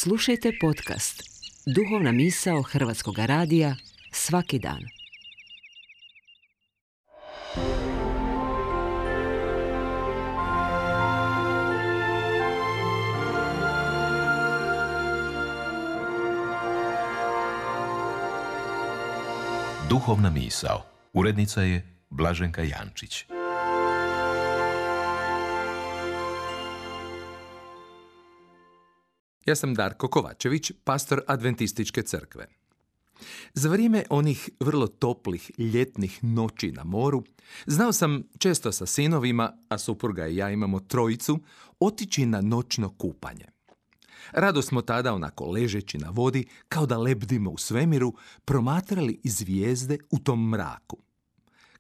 Slušajte podcast Duhovna misao Hrvatskog radija svaki dan. Duhovna misao. Urednica je Blaženka Jančić. Ja sam Darko Kovačević, pastor Adventističke crkve. Za vrijeme onih vrlo toplih ljetnih noći na moru, znao sam često sa sinovima, a supruga i ja imamo trojicu, otići na noćno kupanje. Rado smo tada, onako ležeći na vodi, kao da lebdimo u svemiru, promatrali zvijezde u tom mraku.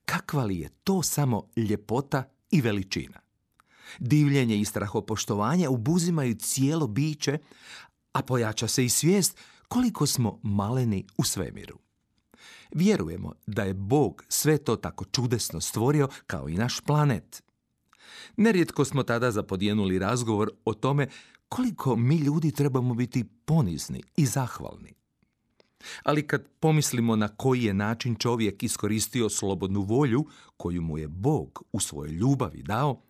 Kakva li je to samo ljepota i veličina! Divljenje i strahopoštovanje obuzimaju cijelo biće, a pojača se i svijest koliko smo maleni u svemiru. Vjerujemo da je Bog sve to tako čudesno stvorio kao i naš planet. Nerijetko smo tada zapodjenuli razgovor o tome koliko mi ljudi trebamo biti ponizni i zahvalni. Ali kad pomislimo na koji je način čovjek iskoristio slobodnu volju koju mu je Bog u svojoj ljubavi dao,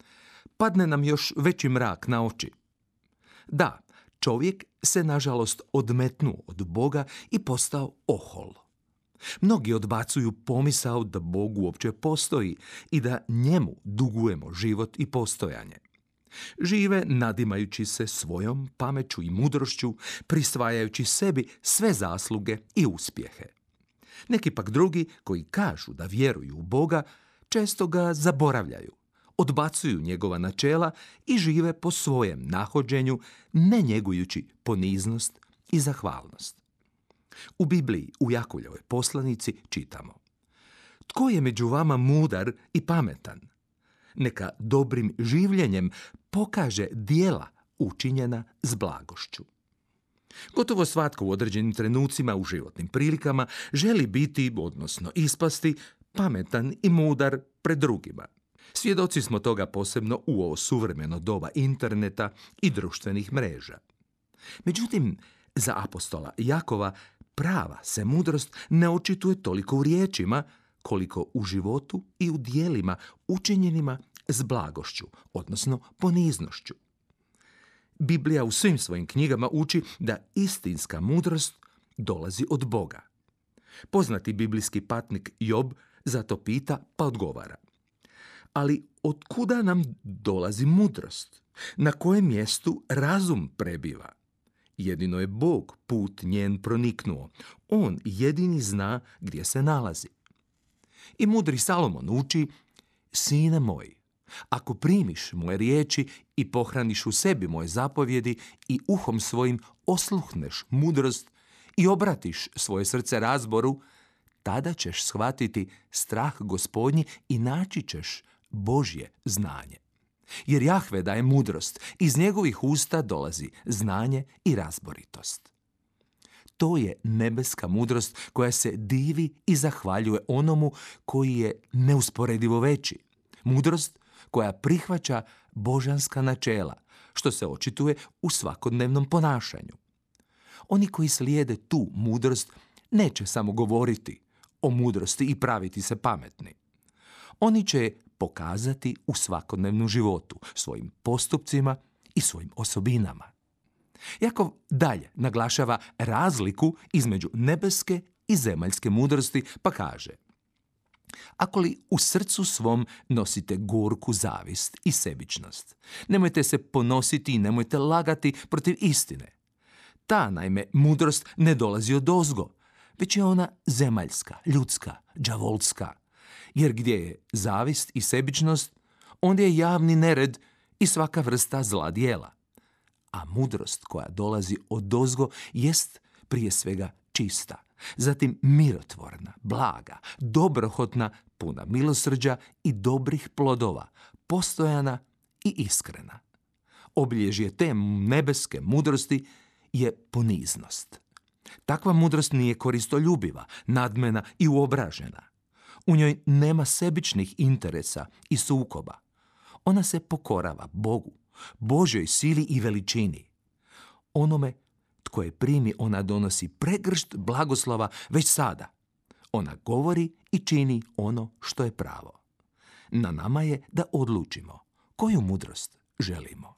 padne nam još veći mrak na oči. Da, čovjek se nažalost odmetnuo od Boga i postao ohol. Mnogi odbacuju pomisao da Bog uopće postoji i da njemu dugujemo život i postojanje. Žive nadimajući se svojom pameću i mudrošću, prisvajajući sebi sve zasluge i uspjehe. Neki pak drugi, koji kažu da vjeruju u Boga, često ga zaboravljaju, odbacuju njegova načela i žive po svojem nahođenju, ne njegujući poniznost i zahvalnost. U Bibliji, u Jakovljevoj poslanici, čitamo: Tko je među vama mudar i pametan? Neka dobrim življenjem pokaže djela učinjena s blagošću. Gotovo svatko u određenim trenucima u životnim prilikama želi biti, odnosno ispasti, pametan i mudar pred drugima. Svjedoci smo toga posebno u ovo suvremeno doba interneta i društvenih mreža. Međutim, za apostola Jakova prava se mudrost ne očituje toliko u riječima, koliko u životu i u djelima učinjenima s blagošću, odnosno poniznošću. Biblija u svim svojim knjigama uči da istinska mudrost dolazi od Boga. Poznati biblijski patnik Job zato pita pa odgovara: Ali otkuda nam dolazi mudrost? Na kojem mjestu razum prebiva? Jedino je Bog put njen proniknuo. On jedini zna gdje se nalazi. I mudri Salomon uči: Sine moj, ako primiš moje riječi i pohraniš u sebi moje zapovjedi i uhom svojim osluhneš mudrost i obratiš svoje srce razboru, tada ćeš shvatiti strah Gospodnji i naći ćeš Božje znanje. Jer Jahve daje mudrost, iz njegovih usta dolazi znanje i razboritost. To je nebeska mudrost koja se divi i zahvaljuje onomu koji je neusporedivo veći. Mudrost koja prihvaća božanska načela, što se očituje u svakodnevnom ponašanju. Oni koji slijede tu mudrost neće samo govoriti o mudrosti i praviti se pametni. Oni će je pokazati u svakodnevnom životu, svojim postupcima i svojim osobinama. Jakov dalje naglašava razliku između nebeske i zemaljske mudrosti, pa kaže: Ako li u srcu svom nosite gorku zavist i sebičnost, nemojte se ponositi i nemojte lagati protiv istine. Ta, naime, mudrost ne dolazi odozgo, već je ona zemaljska, ljudska, đavolska. Jer gdje je zavist i sebičnost, onda je javni nered i svaka vrsta zla djela. A mudrost koja dolazi odozgo jest prije svega čista, zatim mirotvorna, blaga, dobrohotna, puna milosrđa i dobrih plodova, postojana i iskrena. Obilježje te nebeske mudrosti je poniznost. Takva mudrost nije koristoljubiva, nadmena i uobražena. U njoj nema sebičnih interesa i sukoba. Ona se pokorava Bogu, Božjoj sili i veličini. Onome tko je primi, ona donosi pregršt blagoslova već sada. Ona govori i čini ono što je pravo. Na nama je da odlučimo koju mudrost želimo.